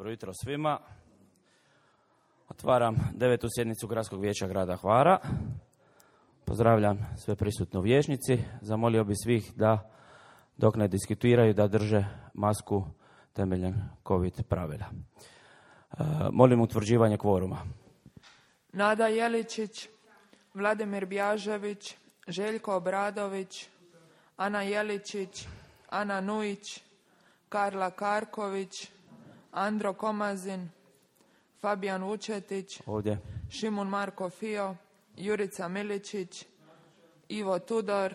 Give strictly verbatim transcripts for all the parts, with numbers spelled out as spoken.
Dobro jutro svima. Otvaram devetu sjednicu Gradskog vijeća grada Hvara. Pozdravljam sve prisutne u vijećnici. Zamolio bi svih da dok ne diskutiraju da drže masku temeljem COVID pravila. E, molim utvrđivanje kvoruma. Nada Jeličić, Vladimir Bjažević, Željko Obradović, Ana Jeličić, Ana Nujić, Karla Karković, Andro Komazin, Fabijan Vučetić, Ovdje. Šimun Marko Fio, Jurica Miličić, Ivo Tudor,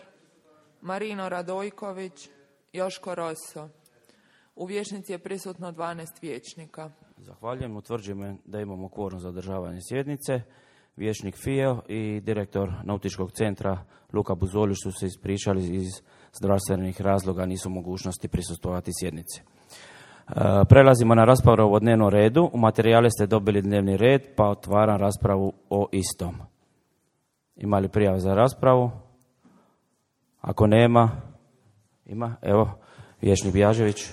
Marino Radojković, Joško Rosso. U vijećnici je prisutno dvanaest vijećnika. Zahvaljujem. Utvrđujem da imamo kvorum za održavanje sjednice. Vijećnik Fio i direktor Nautičkog centra Luka Buzolić su se ispričali iz zdravstvenih razloga, nisu u mogućnosti prisustvovati sjednici. Prelazimo na raspravu o dnevnom redu. U materijale ste dobili dnevni red, pa otvaram raspravu o istom. Ima li prijava za raspravu? Ako nema, ima. Evo, vijećnik Bjažević. E,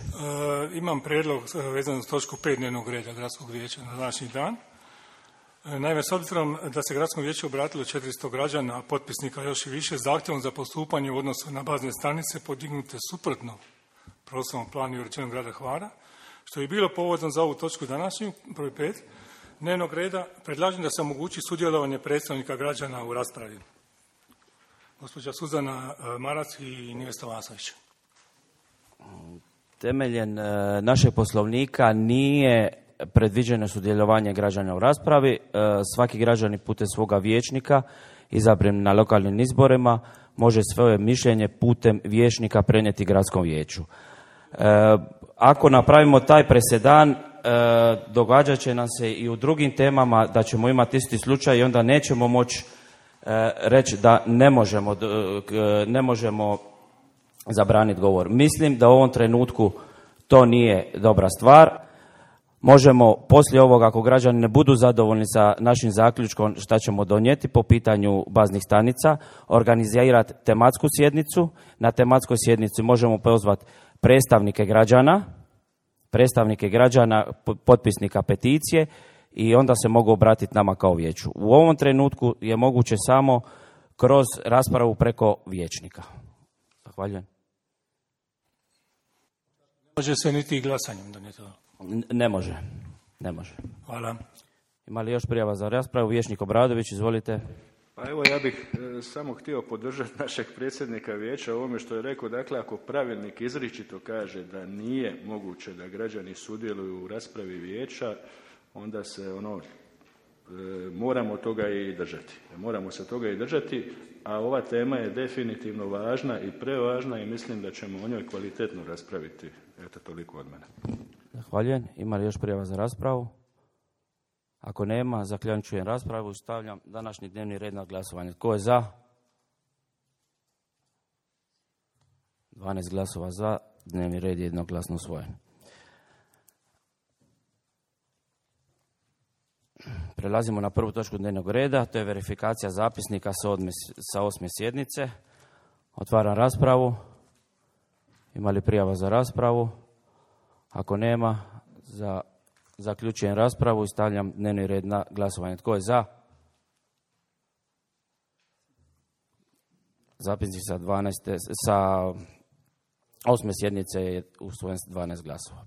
imam prijedlog vezan za točku pet dnevnog reda Gradskog vijeća na današnji dan. E, naime, s obzirom da se Gradskom vijeću obratilo četiristo građana, a potpisnika još i više, zahtjevom za postupanje u odnosu na bazne stanice podignute suprotno prostornom planu i uređenju grada Hvara, što je bilo povodom za ovu točku današnju, broj pet, dnevnog reda, predlažem da se omogući sudjelovanje predstavnika građana u raspravi. Gospođa Suzana Marac i Nijesta Vasović. Temeljem našeg poslovnika nije predviđeno sudjelovanje građana u raspravi. Svaki građanin putem svoga vijećnika izabran na lokalnim izborima može svoje mišljenje putem vijećnika prenijeti gradskom vijeću. Ako napravimo taj presedan, događat će nam se i u drugim temama da ćemo imati isti slučaj i onda nećemo moći reći da ne možemo, ne možemo zabraniti govor. Mislim da u ovom trenutku to nije dobra stvar. Možemo poslije ovoga, ako građani ne budu zadovoljni sa našim zaključkom šta ćemo donijeti po pitanju baznih stanica, organizirati tematsku sjednicu. Na tematskoj sjednici možemo pozvati predstavnike građana, predstavnike građana, potpisnika peticije i onda se mogu obratiti nama kao vijeću. U ovom trenutku je moguće samo kroz raspravu preko vijećnika. Zahvaljujem. Može se niti glasanjem donijeti. Ne može. Ne može. Hvala. Ima li još prijava za raspravu? Vijećnik Obradović, izvolite. Pa evo, ja bih e, samo htio podržati našeg predsjednika vijeća u ovome što je rekao. Dakle, ako pravilnik izričito kaže da nije moguće da građani sudjeluju u raspravi vijeća, onda se ono e, moramo toga i držati. Moramo se toga i držati, a ova tema je definitivno važna i prevažna i mislim da ćemo o njoj kvalitetno raspraviti. Eto, toliko od mene. Zahvaljujem. Ima li još prijava za raspravu? Ako nema, zaključujem raspravu. Stavljam današnji dnevni red na glasovanje. Tko je za? dvanaest glasova za. Dnevni red je jednoglasno usvojen. Prelazimo na prvu točku dnevnog reda. To je verifikacija zapisnika sa, odme, sa osme sjednice. Otvaram raspravu. Ima li prijava za raspravu? Ako nema, za, zaključujem raspravu i stavljam dnevni red na glasovanje. Tko je za? Zapisnik sa, dvanaest, sa osme sjednice je usvojen s dvanaest glasova.